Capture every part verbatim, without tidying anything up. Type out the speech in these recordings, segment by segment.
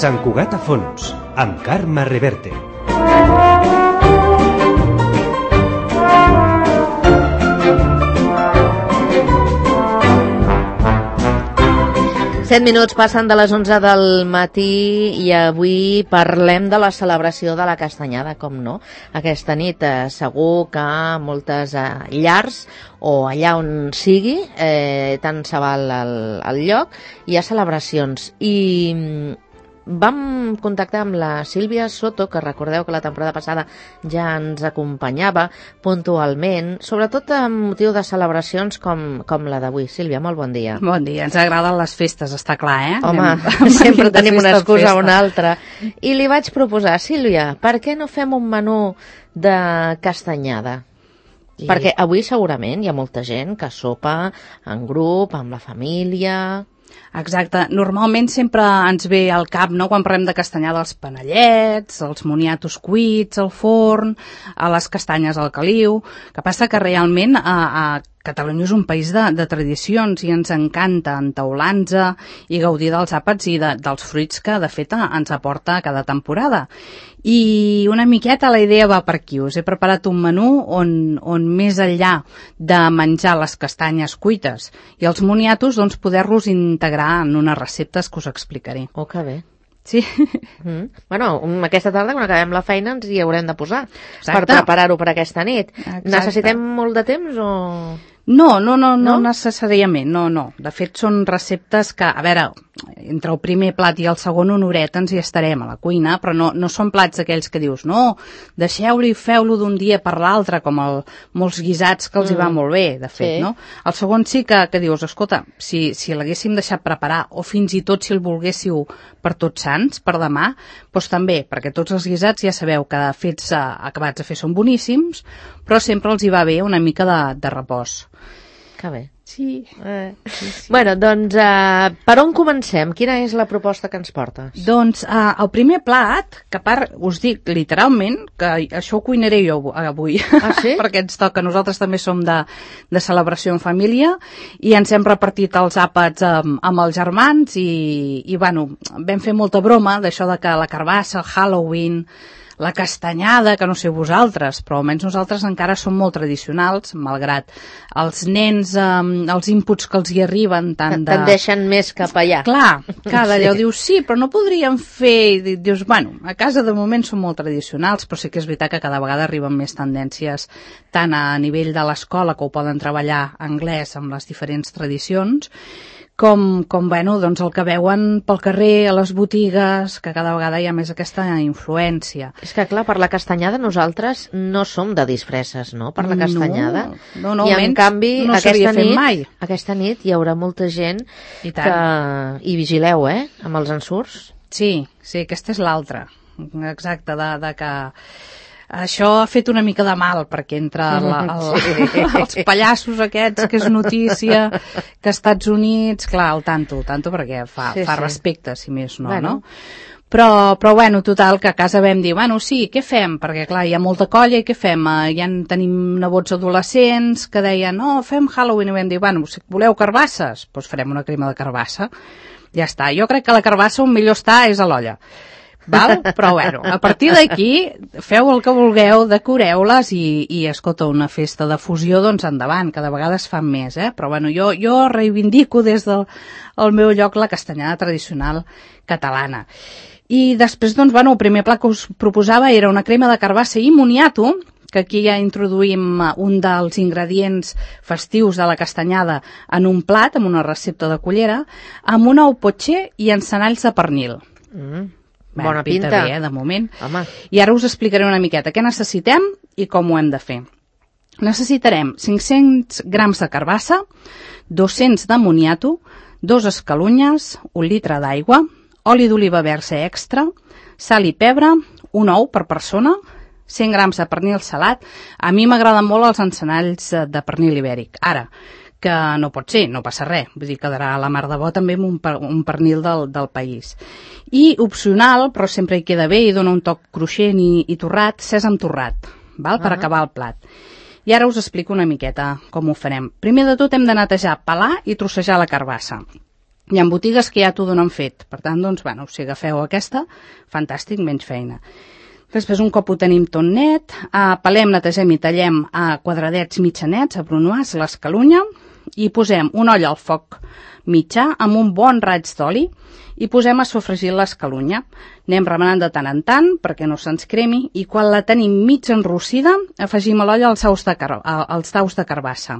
Sant Cugat a fons, amb Carme Reverte. Set minuts passen de les onze del matí i avui parlem de la celebració de la Castanyada, com no. Aquesta nit eh, segur que moltes eh, llars o allà on sigui, eh, tant se val el, el lloc, hi ha celebracions. I vam contactar amb la Sílvia Soto, que recordeu que la temporada passada ja ens acompanyava puntualment, sobretot amb motiu de celebracions com, com la d'avui. Sílvia, molt bon dia. Bon dia, ens agraden les festes, està clar, eh? Home, Anem, sempre tenim una excusa o una altra. I li vaig proposar, Sílvia, per què no fem un menú de castanyada? I... Perquè avui segurament hi ha molta gent que sopa en grup, amb la família... Exacte. Normalment sempre ens ve al cap, no?, quan parlem de castanyada, els panellets, els moniatos cuits al forn, a les castanyes al caliu. Que passa que realment a, a Catalunya és un país de, de tradicions i ens encanta entaular-nos i gaudir dels àpats i de, dels fruits que, de fet, ens aporta cada temporada. I una miqueta la idea va per aquí. Us he preparat un menú on, on més enllà de menjar les castanyes cuites i els moniatos, doncs poder-los integrar en unes receptes que us explicaré. Oh, que bé. Sí. Mm. Bueno, aquesta tarda, quan acabem la feina, ens hi haurem de posar. Exacte. Per preparar-ho per aquesta nit. Exacte. Necessitem molt de temps o...? No, no, no, no, no necessàriament, no, no. De fet, són receptes que, a veure, entre el primer plat i el segon una horeta ens hi estarem a la cuina, però no, no són plats aquells que dius, no, deixeu-lo i feu-lo d'un dia per l'altre, com el, molts guisats que els mm. hi va molt bé, de fet, sí. No? El segon sí que, que dius, escolta, si, si l'haguéssim deixat preparar, o fins i tot si el volguéssiu per Tots Sants, per demà, doncs també, perquè tots els guisats ja sabeu que fets acabats a fer són boníssims, però sempre els hi va bé una mica de, de repòs. Que bé. Sí. Eh. sí, sí. Bueno, doncs, uh, per on comencem? Quina és la proposta que ens portes? Doncs uh, el primer plat, que a part us dic literalment, que això ho cuinaré jo avui, ah, sí? perquè ens toca, nosaltres també som de, de celebració en família i ens hem repartit els àpats amb, amb els germans i, i bueno, vam fer molta broma d'això de que la carbassa, el Halloween, la castanyada, que no sé vosaltres, però almenys nosaltres encara som molt tradicionals, malgrat els nens, eh, els inputs que els hi arriben tant de... Tendeixen més cap allà. Clar, cada allò sí. Dius, sí, però no podríem fer... Dius, bueno, a casa de moment som molt tradicionals, però sí que és veritat que cada vegada arriben més tendències tant a nivell de l'escola, que ho poden treballar anglès amb les diferents tradicions, com, com bueno, doncs el que veuen pel carrer, a les botigues, que cada vegada hi ha més aquesta influència. És que, clar, per la castanyada nosaltres no som de disfresses, no?, per la castanyada. No, no, I en canvi, no aquesta, nit, mai. aquesta nit hi haurà molta gent I que... I vigileu, eh?, amb els ensurts. Sí, sí, aquesta és l'altra. Exacte, de, de que... Això ha fet una mica de mal, perquè entre la, el, sí. els pallassos aquests, que és notícia, que als Estats Units, clar, el tanto, el tanto perquè fa, sí, fa sí. respecte, si més no, bueno. no? Però, però, bueno, total, que a casa vam dir, bueno, sí, què fem? Perquè, clar, hi ha molta colla i què fem? Ja en tenim nebots adolescents que deien, no, fem Halloween, i vam dir, bueno, si voleu carbasses? Doncs farem una crema de carbassa. Ja està. Jo crec que la carbassa on millor està és a l'olla. Val? Però bueno, a partir d'aquí feu el que vulgueu, decoreu-les i, i escolta, una festa de fusió, doncs endavant, cada vegada es fan més, eh? Però bueno, jo, jo reivindico des del el meu lloc la castanyada tradicional catalana. I després, doncs, bueno, el primer plat que us proposava era una crema de carbassa i moniato, que aquí ja introduïm un dels ingredients festius de la castanyada en un plat, amb una recepta de cullera, amb un ou potxer i encenalls de pernil. Mm. Bé, Bona pinta. Bé, eh, de moment. Home. I ara us explicaré una miqueta què necessitem i com ho hem de fer. Necessitarem cinc-cents grams de carbassa, dos-cents de moniato, dos escalunyes, un litre d'aigua, oli d'oliva verge extra, sal i pebre, un ou per persona, cent grams de pernil salat. A mi m'agraden molt els encenalls de pernil ibèric. Ara, que no pot ser, no passa res, vull dir, quedarà a la mar de bo també amb un, per, un pernil del, del país. I opcional, però sempre hi queda bé i dona un toc cruixent i, i torrat, sèsam torrat, val? Per uh-huh. acabar el plat. I ara us explico una miqueta com ho farem. Primer de tot hem de netejar, pelar i trossejar la carbassa. Hi ha botigues que ja t'ho donen fet, per tant, doncs, bueno, si agafeu aquesta, fantàstic, menys feina. Després, un cop ho tenim tot net, eh, pelem, netegem i tallem a quadradets mitjanets, a brunoise, l'escalunya, i posem una olla al foc mitjà amb un bon raig d'oli i posem a sofregir l'escalunya. Anem remenant de tant en tant perquè no se'ns cremi i quan la tenim mig enrossida afegim a l'olla els daus de, car els daus de carbassa.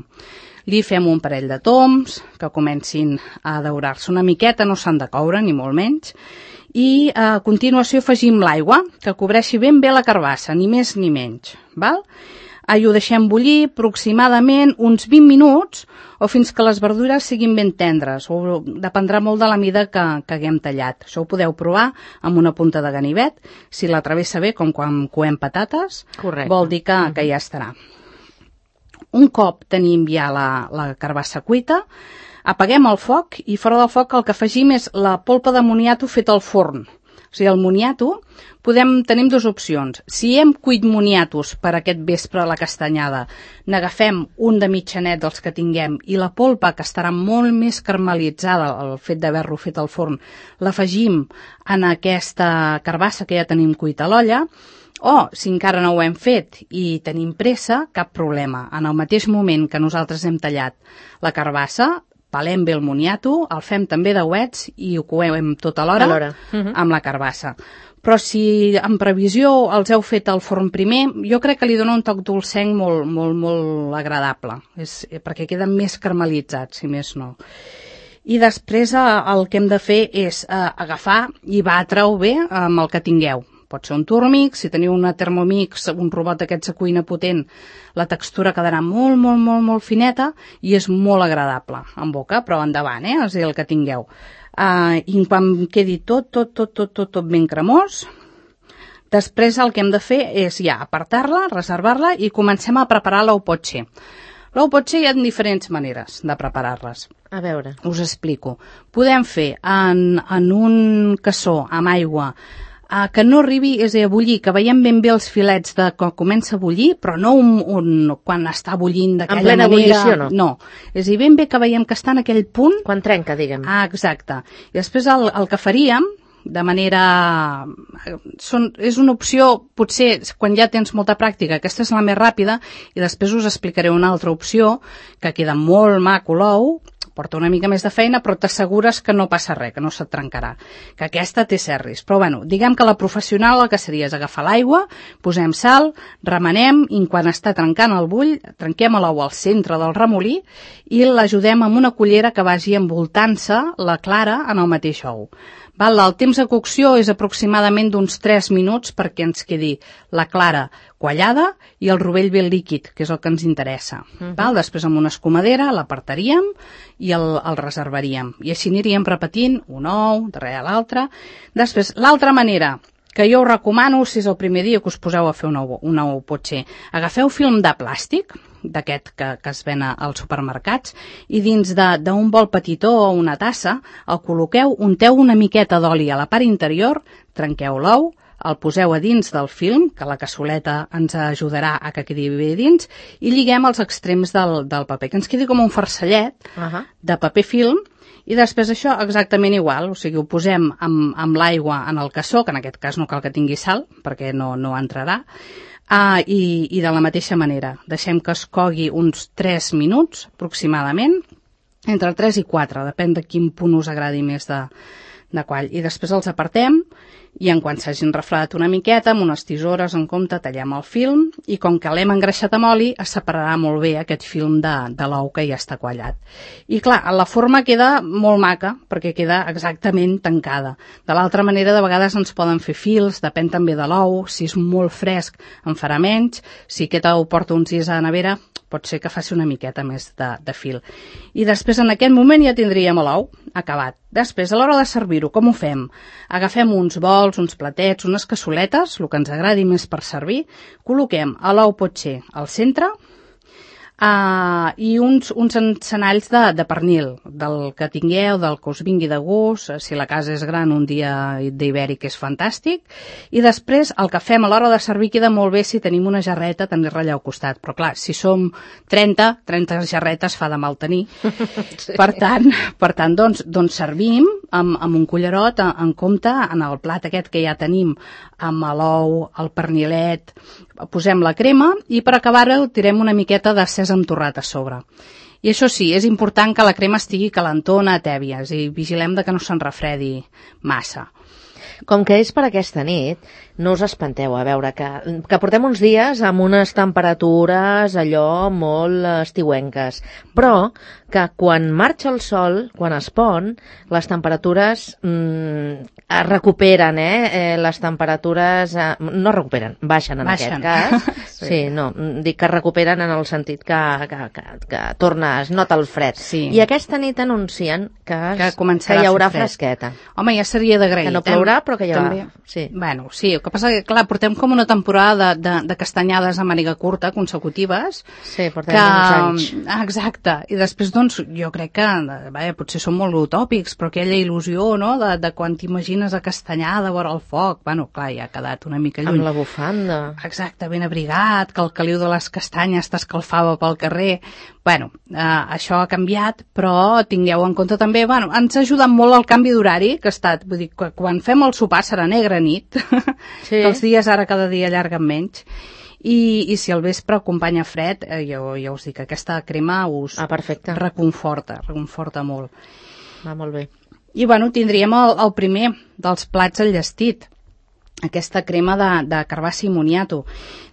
Li fem un parell de toms que comencin a daurar-se una miqueta, no s'han de coure ni molt menys, i a continuació afegim l'aigua que cobreixi ben bé la carbassa, ni més ni menys. Val? I ho deixem bullir aproximadament uns vint minuts o fins que les verdures siguin ben tendres, o dependrà molt de la mida que, que haguem tallat. Això ho podeu provar amb una punta de ganivet, si la travessa bé, com quan coem patates, correcte, vol dir que, que ja estarà. Un cop tenim ja la, la carbassa cuita, apaguem el foc i fora del foc el que afegim és la polpa de moniato feta al forn. O sigui, el moniato, podem, tenim dues opcions. Si hem cuit moniatos per aquest vespre a la castanyada, n'agafem un de mitjanet dels que tinguem i la polpa, que estarà molt més caramelitzada, el fet d'haver-lo fet al forn, l'afegim en aquesta carbassa que ja tenim cuita a l'olla, o, si encara no ho hem fet i tenim pressa, cap problema. En el mateix moment que nosaltres hem tallat la carbassa, pelem bé el moniato, el fem també de ouets i ho coem tot alhora uh-huh. amb la carbassa. Però si en previsió els heu fet al forn primer, jo crec que li dona un toc dolcenc molt, molt, molt agradable, és, perquè queden més caramelitzats, si més no. I després el que hem de fer és eh, agafar i batre-ho bé amb el que tingueu. Pot ser un Turmix, si teniu una Thermomix, un robot d'aquests de cuina potent, la textura quedarà molt, molt, molt, molt fineta i és molt agradable en boca, però endavant, eh? És el que tingueu. Uh, I quan quedi tot, tot, tot, tot, tot, tot ben cremós, després el que hem de fer és ja apartar-la, reservar-la i comencem a preparar l'ou potxer. L'ou potxer hi ha diferents maneres de preparar-les. A veure. Us explico. Podem fer en, en un cassó amb aigua Uh, que no arribi, és a dir, a bullir, que veiem ben bé els filets de quan comença a bullir, però no un, un, quan està bullint d'aquella manera. En plena ebullició, no? No, és a dir, ben bé que veiem que està en aquell punt. Quan trenca, diguem. Ah, exacte. I després el, el que faríem, de manera... Són, és una opció, potser, quan ja tens molta pràctica, aquesta és la més ràpida, i després us explicaré una altra opció, que queda molt maco l'ou, porta una mica més de feina, però t'assegures que no passa res, que no se't trencarà, que aquesta té serris. Però bueno, diguem que la professional el que seria és agafar l'aigua, posem sal, remenem, i quan està trencant el bull, trenquem l'ou al centre del remolí i l'ajudem amb una cullera que vagi envoltant-se la clara en el mateix ou. Val, el temps de cocció és aproximadament d'uns tres minuts perquè ens quedi la clara quallada i el rovell ben líquid, que és el que ens interessa. Uh-huh. Val, després amb una escumadera l'apartaríem i el, el reservaríem. I així aniríem repetint un ou, darrere l'altre. Després, l'altra manera que jo us recomano, si és el primer dia que us poseu a fer un ou, un ou potser, agafeu film de plàstic, d'aquest que, que es ven als supermercats, i dins d'un bol petitó o una tassa el col·loqueu, unteu una miqueta d'oli a la part interior, trenqueu l'ou, el poseu a dins del film, que la cassoleta ens ajudarà a que quedi bé dins, i lliguem els extrems del, del paper, que ens quedi com un farcellet uh-huh. de paper film, i després això exactament igual, o sigui, ho posem amb, amb l'aigua en el cassó, que en aquest cas no cal que tingui sal, perquè no, no entrarà, Ah, i, i de la mateixa manera, deixem que es cogui uns tres minuts aproximadament, entre tres i quatre, depèn de quin punt us agradi més de, de quall. I després els apartem i en quan s'hagin refredat una miqueta, amb unes tisores en compte, tallem el film i com que l'hem engreixat amb oli, es separarà molt bé aquest film de, de l'ou que ja està quallat. I clar, la forma queda molt maca perquè queda exactament tancada. De l'altra manera, de vegades ens poden fer fils, depèn també de l'ou, si és molt fresc en farà menys, si aquest ou porta uns dies a la nevera, pot ser que faci una miqueta més de, de fil. I després en aquest moment ja tindríem l'ou acabat. Després, a l'hora de servir-ho, com ho fem? Agafem uns bols, uns platets, unes cassoletes, el que ens agradi més per servir, col·loquem l'ou potxer al centre, Uh, i uns, uns encenalls de, de pernil, del que tingueu, del que us vingui de gust, si la casa és gran un dia d'ibèric és fantàstic, i després el que fem a l'hora de servir queda molt bé si tenim una jarreta tenir-la allà al costat, però clar, si som trenta, trenta jarretes fa de mal tenir, sí. per tant, per tant doncs, doncs servim amb, amb un cullerot en, en compte en el plat aquest que ja tenim, amb l'ou, el pernilet, posem la crema i per acabar-ho tirem una miqueta de sèsam torrat a sobre. I això sí, és important que la crema estigui calentona, tèbia, és a dir, vigilem de que no se'n refredi massa. Com que és per aquesta nit, no us espanteu, a veure, que, que portem uns dies amb unes temperatures allò molt estiuenques, però que quan marxa el sol, quan es pon, les temperatures mm, es recuperen, eh? eh? Les temperatures eh, no recuperen, baixen en baixen. aquest cas. sí. sí, no, dic que recuperen en el sentit que, que, que, que torna, es nota el fred. Sí. I aquesta nit anuncien que, que, que hi haurà fresqueta. Home, ja seria d'agrair. Que no plourà, però que hi haurà. També. Sí. Bueno, sí, el que passa que, clar, portem com una temporada de, de, de castanyades a màniga curta consecutives. Sí, portem que, uns anys. Exacte. I després, doncs, jo crec que, bé, potser són molt utòpics, però aquella il·lusió, no?, de, de quan t'imagines a Castanyada, vora el foc, bueno, clar, ja ha quedat una mica lluny. Amb la bufanda. Exacte, ben abrigat, que el caliu de les castanyes t'escalfava pel carrer. Bueno, eh, això ha canviat, però tingueu en compte també, bueno, ens ha ajudat molt el canvi d'horari, que ha estat, vull dir, que quan fem el sopar serà negra nit, sí. que els dies ara cada dia allarguen menys, i, i si el vespre acompanya fred, eh, jo ja us dic, aquesta crema us ah, perfecte. reconforta, reconforta molt. Va molt bé. I bueno, tindríem el, el primer dels plats enllestit, aquesta crema de, de carbassi i moniato.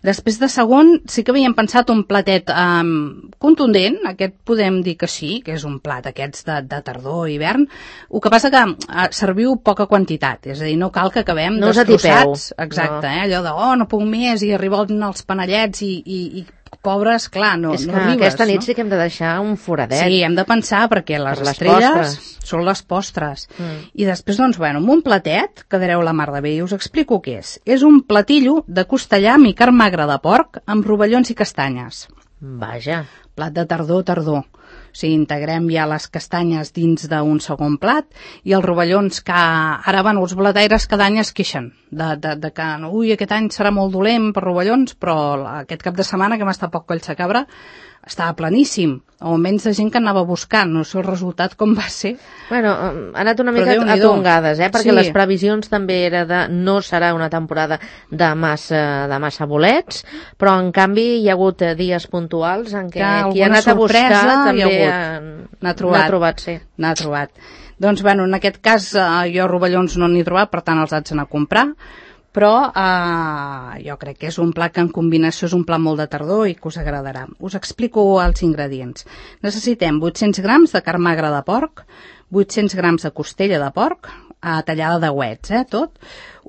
Després de segon sí que havíem pensat un platet um, contundent, aquest podem dir que sí, que és un plat aquests de, de tardor i hivern, el que passa que uh, serviu poca quantitat, és a dir, no cal que acabem no destrossats, exacte, no. eh, allò de, oh, no puc més, i arriben els panellets i, i, i pobres, clar, no, és no que arribes. Aquesta nit no? sí que hem de deixar un foradet. Sí, hem de pensar perquè les, per les estrelles postres. Són les postres. Mm. I després, doncs, bueno, amb un platet quedareu la mar de bé i us explico què és. És un platillo de costellam i carn magra de porc amb rovellons i castanyes. Vaja. Plat de tardor, tardor. O sigui, integrem ja les castanyes dins d'un segon plat i els rovellons que ara, bueno, els blataires cada any es queixen de, de, de que, ui, aquest any serà molt dolent per rovellons, però aquest cap de setmana que hem estat poc colls de cabra estava planíssim, o almenys de gent que anava buscant, no sé el resultat com va ser. Bueno, ha anat una mica a tongades, eh? Perquè sí. Les previsions també era de no serà una temporada de massa, de massa bolets, però en canvi hi ha hagut dies puntuals en què qui ha anat a buscar també n'ha trobat. N'ha trobat, sí. N'ha trobat. Doncs, bueno, en aquest cas eh, jo rovellons no n'he trobat, per tant els haig d'anar a comprar, però eh, jo crec que és un plat que en combinació és un plat molt de tardor i que us agradarà. Us explico els ingredients. Necessitem vuit-cents grams de carn magra de porc, vuit-cents grams de costella de porc, eh, tallada de ouets, eh, tot,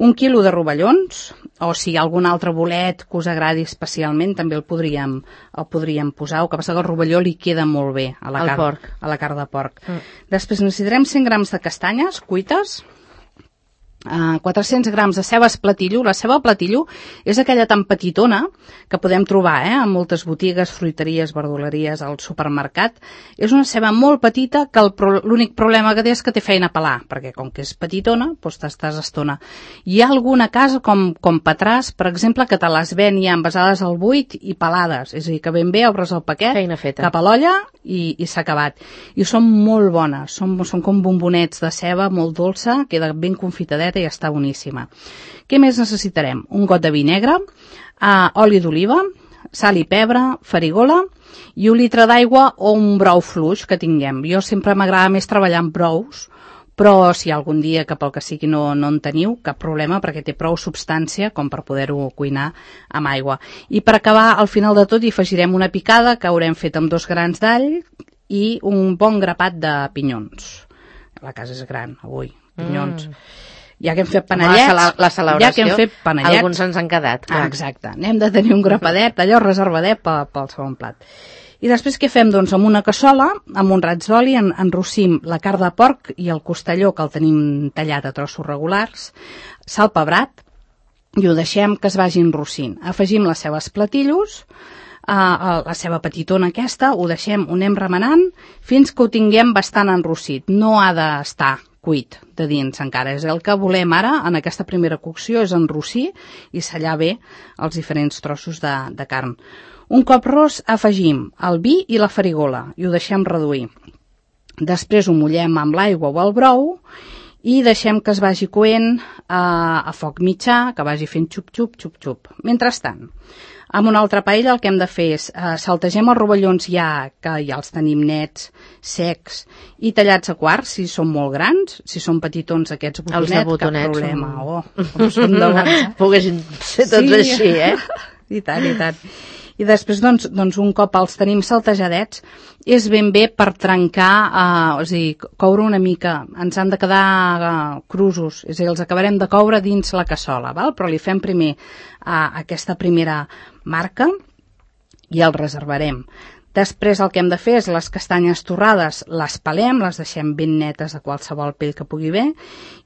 un quilo de rovellons, o si hi ha algun altre bolet que us agradi especialment, també el podríem, el podríem posar, el que passa que el rovelló li queda molt bé a la, carn, porc. a la carn de porc. Mm. Després necessitarem cent grams de castanyes cuites, Uh, quatre-cents grams de ceba platillo. La ceba platillo és aquella tan petitona que podem trobar eh, en moltes botigues, fruiteries, verduleries, al supermercat. És una ceba molt petita que l'únic pro problema que té és que té feina a pelar, perquè com que és petitona, doncs t'estàs estona. Hi ha alguna casa com, com Petràs, per exemple, que te les ven ja envasades al buit i pelades, és a dir, que ben bé obres el paquet cap a l'olla i, i s'ha acabat. I són molt bones, són, són com bombonets de ceba, molt dolça, queda ben confitadeta i està boníssima. Què més necessitarem? Un got de vi negre, uh, oli d'oliva, sal i pebre, farigola i un litre d'aigua o un brou fluix que tinguem. Jo sempre m'agrada més treballar amb brous, però si algun dia que pel que sigui no, no en teniu, cap problema perquè té prou substància com per poder-ho cuinar amb aigua. I per acabar, al final de tot hi afegirem una picada que haurem fet amb dos grans d'all i un bon grapat de pinyons. La casa és gran avui, pinyons. Mm. Ja que hem fet panellets, la, la celebració, ja que hem fet panellets, alguns ens han quedat. Ah, exacte, n'hem de tenir un grapadet, allò reservadet pel, pel segon plat. I després què fem? Doncs amb una cassola, amb un raig d'oli, en, enrossim la carn de porc i el costelló, que el tenim tallat a trossos regulars, sal pebrat, i ho deixem que es vagi enrossint. Afegim les cebes platillos, uh, la ceba petitona aquesta, ho deixem, ho anem remenant fins que ho tinguem bastant enrossit. No ha d'estar cuit de dins encara. És el que volem ara, en aquesta primera cocció, és enrossir i sellar bé els diferents trossos de, de carn. Un cop ros afegim el vi i la farigola i ho deixem reduir. Després ho mullem amb l'aigua o el brou i deixem que es vagi coent a, a foc mitjà, que vagi fent xup-xup, xup-xup. Mentrestant, amb una altra paella el que hem de fer és eh, saltegem els rovellons ja, que ja els tenim nets, secs i tallats a quarts, si són molt grans, si són petitons aquests botonets, botonets cap problema. són... Oh, com són de bons, eh? Poguessin ser tots sí. Així, eh? I tant, i tant. I després, doncs, doncs, un cop els tenim saltejadets, és ben bé per trencar, eh, és a dir, coure una mica. Ens han de quedar eh, crusos, és a dir, els acabarem de coure dins la cassola, val? Però li fem primer eh, aquesta primera marca i el reservarem. Després el que hem de fer és les castanyes torrades, les pelem, les deixem ben netes de qualsevol pell que pugui haver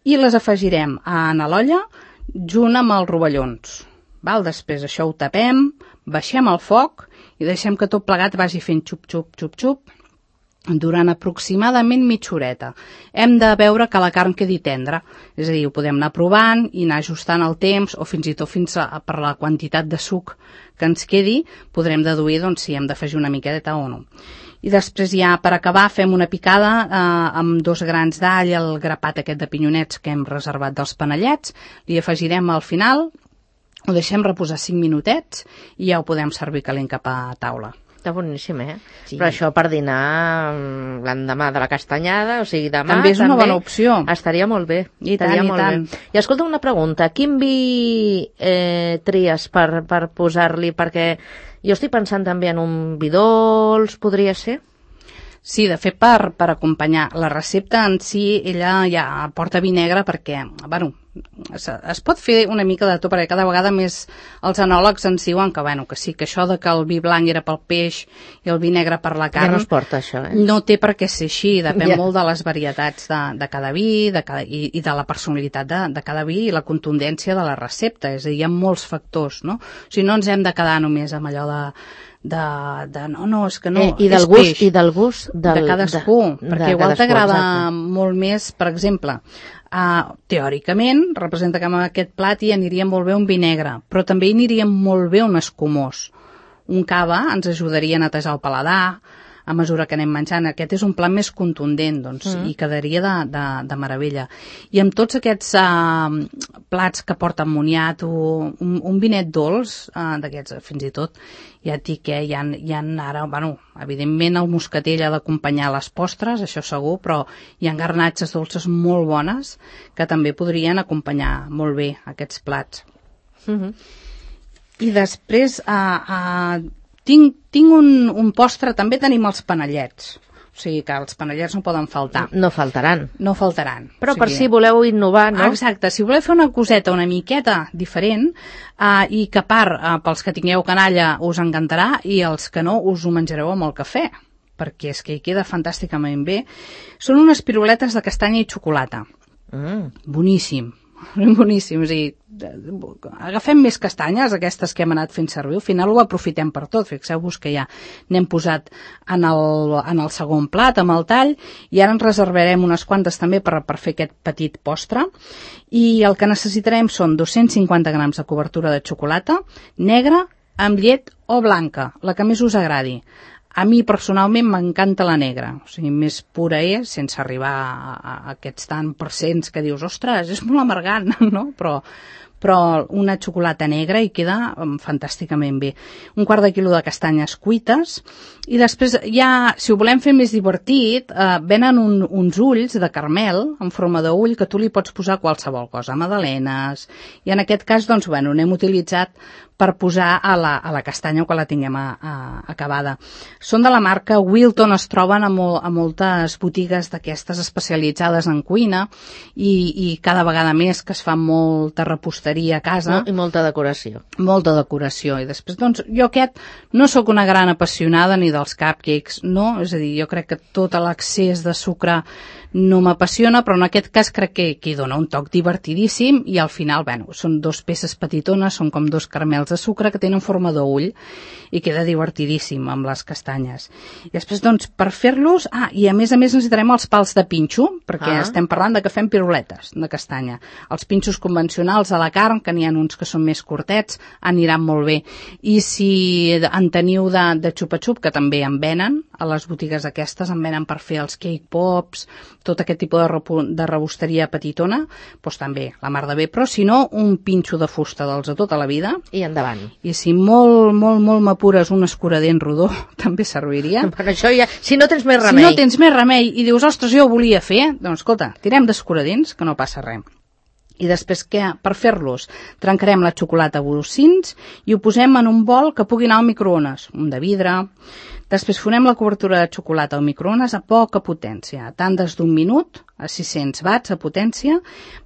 i les afegirem a l'olla junt amb els rovellons. Val? Després això ho tapem, baixem el foc i deixem que tot plegat vagi fent xup-xup, xup-xup durant aproximadament mitja horeta. Hem de veure que la carn quedi tendra, és a dir, ho podem anar provant i anar ajustant el temps o fins i tot fins a, per la quantitat de suc que ens quedi, podrem deduir doncs, si hem d'afegir una miqueta o no. I després ja per acabar fem una picada eh, amb dos grans d'all, el grapat aquest de pinyonets que hem reservat dels panellets, li afegirem al final. Ho deixem reposar cinc minutets i ja ho podem servir calent cap a taula. Està boníssim, eh? Sí. Però això per dinar l'endemà de la castanyada, o sigui, demà... També és una bona opció. Estaria molt bé. I tant, i tant. Bé. I escolta una pregunta, quin vi eh, tries per, per posar-li? Perquè jo estic pensant també en un vi dolç, podria ser? Sí, de fet, per, per acompanyar. La recepta en si, ella ja porta vi negre perquè, bueno, es, es pot fer una mica de tot, perquè cada vegada més els enòlegs ens diuen que, bueno, que sí, que això de que el vi blanc era pel peix i el vi negre per la carn... Ja no es porta, això, eh? No té per què ser així, depèn ja. molt de les varietats de, de cada vi de cada, i, i de la personalitat de, de cada vi i la contundència de la recepta, és a dir, hi ha molts factors, no? O sigui, no ens hem de quedar només amb allò de... De, de no, no, és que no, eh, i del és gust, peix. I del gust del, de cadascú, de, perquè de igual t'agrada exacte. Molt més, per exemple, uh, teòricament, representa que amb aquest plat hi aniria molt bé un vi negre, però també hi aniria molt bé un escumós. Un cava ens ajudaria a netejar el paladar, a mesura que anem menjant. Aquest és un plat més contundent, doncs, mm. i quedaria de, de, de meravella. I amb tots aquests uh, plats que porten moniato, un, un vinet dolç, uh, d'aquests, fins i tot, ja et dic que hi ha, hi ha ara, bueno, evidentment el moscatell ha d'acompanyar les postres, això segur, però hi ha garnatges dolces molt bones que també podrien acompanyar molt bé aquests plats. Mm-hmm. I després... Uh, uh, Tinc, tinc un, un postre, també tenim els panellets. O sigui que els panellets no poden faltar. No faltaran. No faltaran. Però o sigui, per si voleu innovar, no? Exacte, si voleu fer una coseta una miqueta diferent uh, i que a part, uh, pels que tingueu canalla us encantarà i els que no us ho menjareu amb el cafè, perquè és que hi queda fantàsticament bé. Són unes piruletes de castanya i xocolata. Mm. Boníssim. Boníssim, o sigui, agafem més castanyes, aquestes que hem anat fent servir, al final ho aprofitem per tot, fixeu-vos que ja n'hem posat en el, en el segon plat, amb el tall, i ara ens reservarem unes quantes també per, per fer aquest petit postre, i el que necessitarem són dos-cents cinquanta grams de cobertura de xocolata, negra, amb llet o blanca, la que més us agradi. A mi, personalment, m'encanta la negra. O sigui, més pura és, sense arribar a, a aquests tant percents que dius, ostres, és molt amargant, no? Però, però una xocolata negra hi queda um, fantàsticament bé. Un quart de quilo de castanyes cuites. I després, ja, si ho volem fer més divertit, eh, venen un, uns ulls de caramel en forma d'ull que tu li pots posar qualsevol cosa, magdalenes. I en aquest cas, doncs, bueno, n'hem utilitzat per posar a la, a la castanya quan la tinguem a, a, acabada. Són de la marca Wilton, es troben a, mol, a moltes botigues d'aquestes especialitzades en cuina i, i cada vegada més que es fa molta reposteria a casa. No, i molta decoració. Molta decoració. I després, doncs, jo aquest no sóc una gran apassionada ni dels cupcakes, no? És a dir, jo crec que tot l'excés de sucre no m'apassiona, però en aquest cas crec que, que hi dona un toc divertidíssim i al final, bueno, són dos peces petitones, són com dos caramels de sucre que tenen forma d'ull i queda divertidíssim amb les castanyes. I després, doncs, per fer-los... Ah, i a més a més necessitarem els pals de pinxo, perquè ah. estem parlant de que fem piruletes de castanya. Els pinxos convencionals a la carn, que n'hi ha uns que són més curtets, aniran molt bé. I si en teniu de, de xupa-xup, que també en venen, a les botigues aquestes en venen per fer els cake pops, tot aquest tipus de, repu, de rebosteria petitona, doncs també, la mar de bé. Però si no, un pinxo de fusta dels de tota la vida. I endavant. I si molt, molt, molt m'apures un escuradent rodó, també serviria. Per això ja, si no tens més remei. Si no tens més remei i dius, ostres, jo ho volia fer, doncs escolta, tirem d'escuradents, que no passa res. I després, què? Per fer-los, trencarem la xocolata a bolsins i ho posem en un bol que pugui anar al microones, un de vidre. Després fonem la cobertura de xocolata al microones a poca potència, a tandes d'un minut, a sis-cents watts a potència.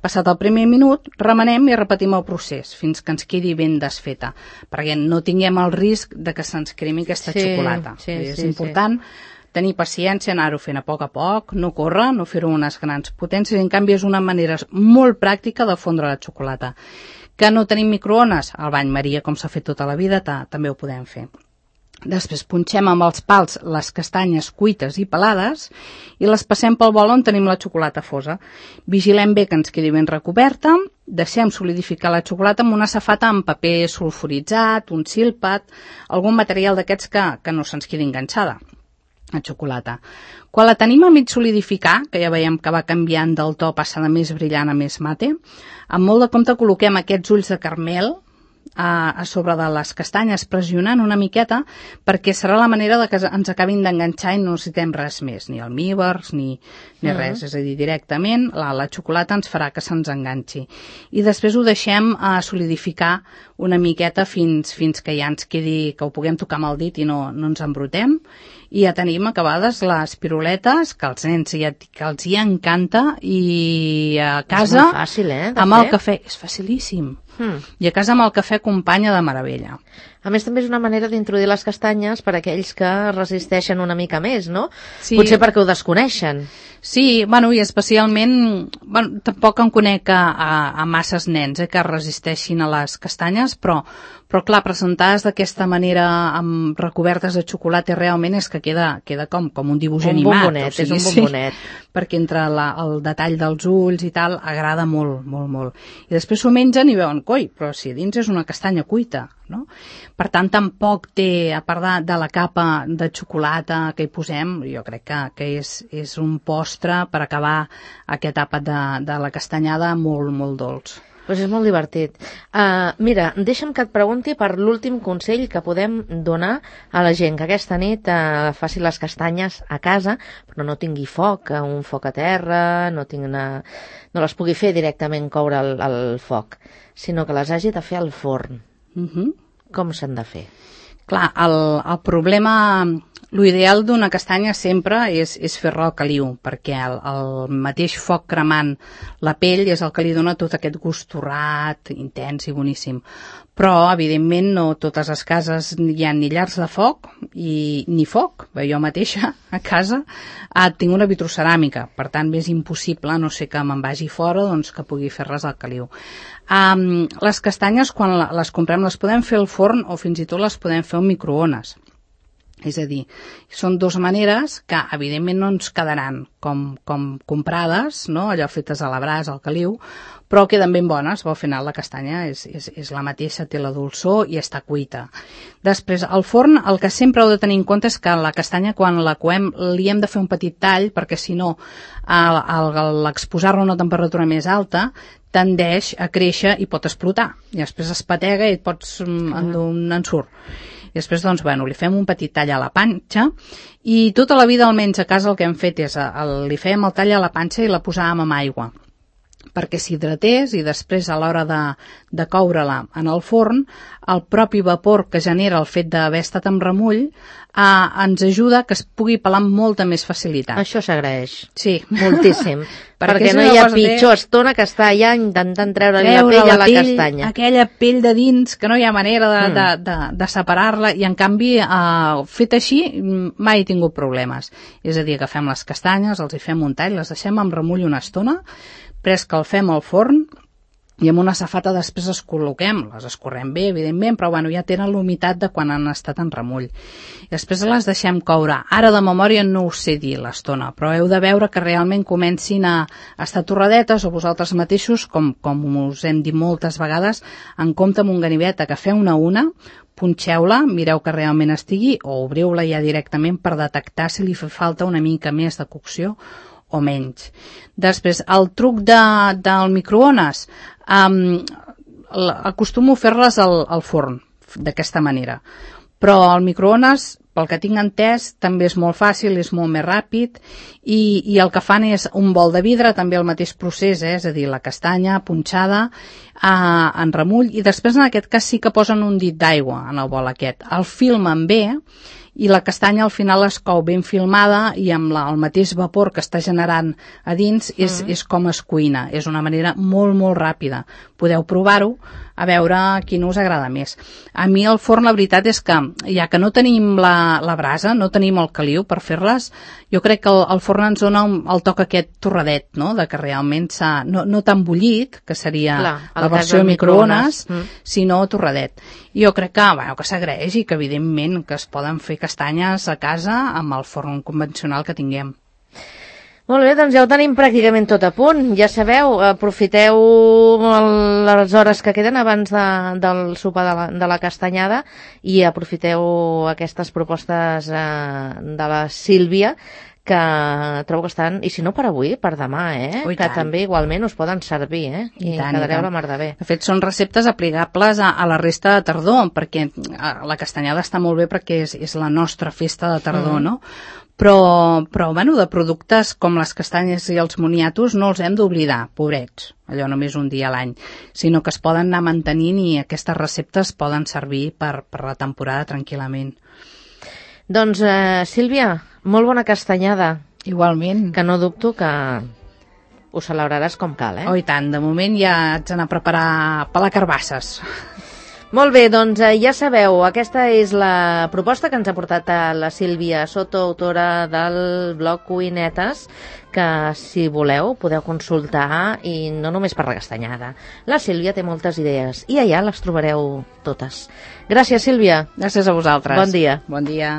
Passat el primer minut, remenem i repetim el procés fins que ens quedi ben desfeta, perquè no tinguem el risc de que se'ns cremi aquesta sí, xocolata. Sí, és sí, important sí. tenir paciència, anar-ho fent a poc a poc, no córrer, no fer-ho unes grans potències. En canvi, és una manera molt pràctica de fondre la xocolata. Que no tenim microones? Al bany Maria, com s'ha fet tota la vida, ta, també ho podem fer. Després punxem amb els pals les castanyes cuites i pelades i les passem pel bol on tenim la xocolata fosa. Vigilem bé que ens quedi ben recoberta, deixem solidificar la xocolata amb una safata amb paper sulfuritzat, un silpat, algun material d'aquests que, que no se'ns quedi enganxada a xocolata. Quan la tenim a mig solidificar, que ja veiem que va canviant del to, passa de més brillant a més mate, amb molt de compte col·loquem aquests ulls de caramel a, a sobre de les castanyes, pressionant una miqueta, perquè serà la manera de que ens acabin d'enganxar i no necessitem res més, ni almíbers ni, ni res, mm. és a dir, directament la, la xocolata ens farà que se'ns enganxi. I després ho deixem a solidificar una miqueta fins, fins que ja ens quedi, que ho puguem tocar amb el dit i no, no ens embrutem, i ja tenim acabades les piruletes, que als nens ja, que els hi encanta, i a casa, és molt fàcil, eh, amb fer? El cafè, és facilíssim. Hmm. I a casa amb el cafè acompanya de meravella. A més, també és una manera d'introduir les castanyes per a aquells que resisteixen una mica més, no? Sí. Potser perquè ho desconeixen. Sí, bueno, i especialment, bueno, tampoc em conec a, a, a masses nens eh, que resisteixin a les castanyes, però, però clar, presentades d'aquesta manera amb recobertes de xocolata realment és que queda, queda com, com un dibuix un animat. Bombonet, o sigui, és un bombonet. Sí, perquè entre la, el detall dels ulls i tal agrada molt, molt, molt. I després s'ho mengen i veuen, coi, però si a dins és una castanya cuita, no? Per tant, tampoc té, a part de, de la capa de xocolata que hi posem, jo crec que, que és, és un postre per acabar aquest àpat de, de la castanyada molt, molt dolç. Pues és molt divertit. Uh, mira, deixa'm que et pregunti per l'últim consell que podem donar a la gent que aquesta nit uh, faci les castanyes a casa, però no tingui foc, un foc a terra, no, tingui una... no les pugui fer directament coure el, el foc, sinó que les hagi de fer al forn. Uh-huh. Com s'han de fer? Clar, el, el problema, l'ideal d'una castanya sempre és, és fer-la al caliu, perquè el, el mateix foc cremant la pell és el que li dona tot aquest gust torrat, intens i boníssim. Però, evidentment, no totes les cases hi ha ni llars de foc i ni foc. Bé, jo mateixa, a casa, ah, tinc una vitroceràmica, per tant, és impossible, a no sé que me'n vagi fora, doncs que pugui fer-les al caliu. Um, les castanyes, quan les comprem, les podem fer al forn o fins i tot les podem fer al microones. És a dir, són dues maneres que evidentment no ens quedaran com, com comprades, no? Allò fetes a la brasa, al caliu, però queden ben bones. Al final la castanya és, és, és la mateixa, té la dolçor i està cuita. Després, al forn, el que sempre heu de tenir en compte és que la castanya, quan la coem, li hem de fer un petit tall, perquè si no, l'exposar-la a una temperatura més alta tendeix a créixer i pot explotar. I després es patega i et pots endur un ensurt. I després, doncs, bueno, li fem un petit tall a la panxa i tota la vida, almenys a casa, el que hem fet és el, li fèiem el tall a la panxa i la posàvem amb aigua perquè s'hidratés i després a l'hora de, de coure-la en el forn, el propi vapor que genera el fet d'haver estat amb remull eh, ens ajuda que es pugui pelar amb molta més facilitat. Això s'agraeix. Sí. Moltíssim. perquè Perquè no és hi ha una cosa pitjor de- estona que està allà intentant treure-li la treure pell a la pell, castanya. aquella pell de dins que no hi ha manera de, Mm. de, de, de separar-la i en canvi eh, fet així mm, mai he tingut problemes. És a dir, agafem les castanyes, els hi fem un tall, les deixem amb remull una estona, pres que el fem al forn i amb una safata després les col·loquem, les escorrem bé, evidentment, però bueno, ja tenen l'humitat de quan han estat en remull. I després les deixem coure. Ara de memòria no us sé dir l'estona, però heu de veure que realment comencin a estar torradetes o vosaltres mateixos, com, com us hem dit moltes vegades, en compte amb un ganivet, agafeu-ne una, punxeu-la, mireu que realment estigui, o obriu-la ja directament per detectar si li fa falta una mica més de cocció o menys. Després, el truc de, del microones, um, acostumo a fer-les al, al forn, d'aquesta manera. Però el microones, pel que tinc entès, també és molt fàcil, és molt més ràpid i, i el que fan és un bol de vidre, també el mateix procés, eh? És a dir, la castanya punxada eh, en remull i després en aquest cas sí que posen un dit d'aigua en el bol aquest. El filmen bé i la castanya al final es cou ben filmada i amb la, el mateix vapor que està generant a dins és, mm. és com es cuina. És una manera molt, molt ràpida. Podeu provar-ho a veure quin us agrada més. A mi el forn, la veritat és que, ja que no tenim la, la brasa, no tenim el caliu per fer-les, jo crec que el, el forn ens dona un, el toc aquest torradet, no?, de que realment s'ha, no, no tan bullit, que seria Clar, la el cas versió del microones, microones. Mm. sinó torradet. Jo crec que, bueno, que s'agraeix i que evidentment que es poden fer castanyes a casa amb el forn convencional que tinguem. Molt bé, doncs ja ho tenim pràcticament tot a punt. Ja sabeu, aprofiteu el- les hores que queden abans de, del sopar de la, de la castanyada i aprofiteu aquestes propostes eh, de la Sílvia, que trobo que estan, i si no per avui, per demà, eh? Oh, i que tant. també igualment us poden servir, eh? I, I tant, i quedareu tant. la mar de bé. De fet, són receptes aplicables a, a la resta de tardor, perquè a, la castanyada està molt bé perquè és, és la nostra festa de tardor, Mm. no? Però, però, bueno, de productes com les castanyes i els moniatos no els hem d'oblidar, pobrets, allò només un dia a l'any, sinó que es poden anar mantenint i aquestes receptes poden servir per, per la temporada tranquil·lament. Doncs, eh, Sílvia, molt bona castanyada, Igualment. que no dubto que ho celebraràs com cal, eh? Oh, i tant, de moment ja haig d'anar a preparar pelar carbasses. Molt bé, doncs eh, ja sabeu, aquesta és la proposta que ens ha portat a la Sílvia Soto, autora del blog Cuinetes, que si voleu podeu consultar i no només per la castanyada. La Sílvia té moltes idees i allà les trobareu totes. Gràcies, Sílvia. Gràcies a vosaltres. Bon dia. Bon dia.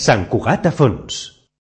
Sant Cugat a fons.